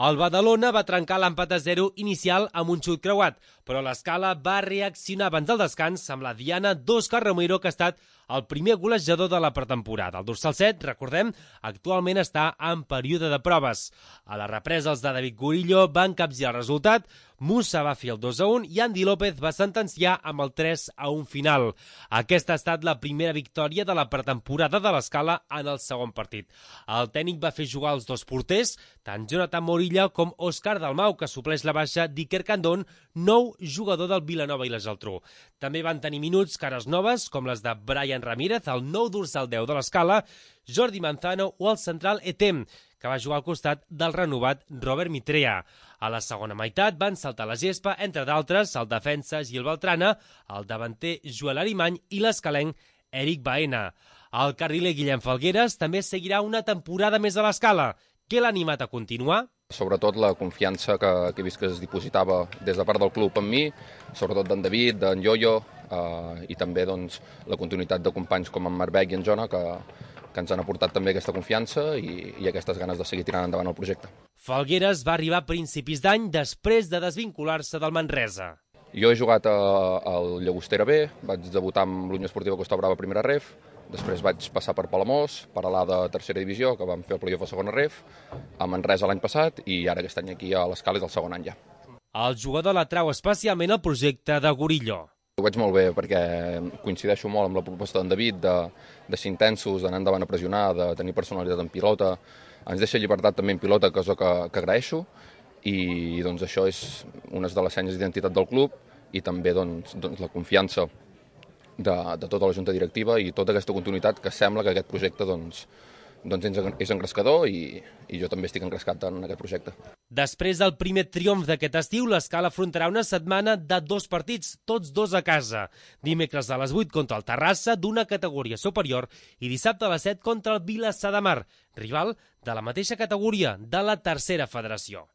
El Badalona va trencar l'empat a 0 inicial amb un xut creuat, però l'Escala va reaccionar abans del descans amb la diana d'Òscar Romero, que ha estat el primer golejador de la pretemporada. El dorsal 7, recordem, actualment està en període de proves. A la represa, els de David Gurillo van capgirar el resultat, Musa va fer el 2-1 i Andy López va sentenciar amb el 3-1 final. Aquesta ha estat la primera victòria de la pretemporada de l'Escala en el segon partit. El tècnic va fer jugar els dos porters, tant Jonathan Morilla com Òscar Dalmau, que supleix la baixa d'Iker Candón, nou jugador del Vilanova i la Geltrú. També van tenir minuts cares noves, com les de Brian Ramírez, el nou dorsal 10 de l'Escala, Jordi Manzano o el central Etem, que va jugar al costat del renovat Robert Mitrea. A la segona meitat van saltar la gespa, entre d'altres, el defensa Gil Beltrana, el davanter Joel Arimany i l'escalenc Eric Baena. El carriler Guillem Falgueres també seguirà una temporada més a l'Escala. Què l'ha animat a continuar? Sobretot la confiança que he vist que es dipositava des de part del club amb mi, sobretot d'en David, d'en Yoyo, i també doncs, la continuïtat de companys com en Marbec i en Jona, que ens han aportat també aquesta confiança i aquestes ganes de seguir tirant endavant el projecte. Falgueres va arribar a principis d'any després de desvincular-se del Manresa. Jo he jugat al Llagostera B, vaig debutar amb l'Unió Esportiva Costa Brava a primera ref, després vaig passar per Palamós, per a l'A de tercera divisió, que vam fer el playoff a segona ref, a Manresa l'any passat i ara aquest any aquí a l'Escala és el segon any ja. El jugador l'atrau especialment el projecte de Gurillo. Ho veig molt bé perquè coincideixo molt amb la proposta d'en David de ser intensos, d'anar endavant a pressionar, de tenir personalitat en pilota. Ens deixa llibertat també en pilota, cosa que agraeixo, i doncs, això és una de les senyes d'identitat del club i també doncs, la confiança de tota la junta directiva i tota aquesta continuïtat que sembla que aquest projecte és engrescador i jo també estic engrescat en aquest projecte. Després del primer triomf d'aquest estiu, l'Escala afrontarà una setmana de 2 partits, tots 2 a casa. Dimecres a les 8 contra el Terrassa, d'una categoria superior, i dissabte a les 7 contra el Vilassar de Mar, rival de la mateixa categoria, de la tercera federació.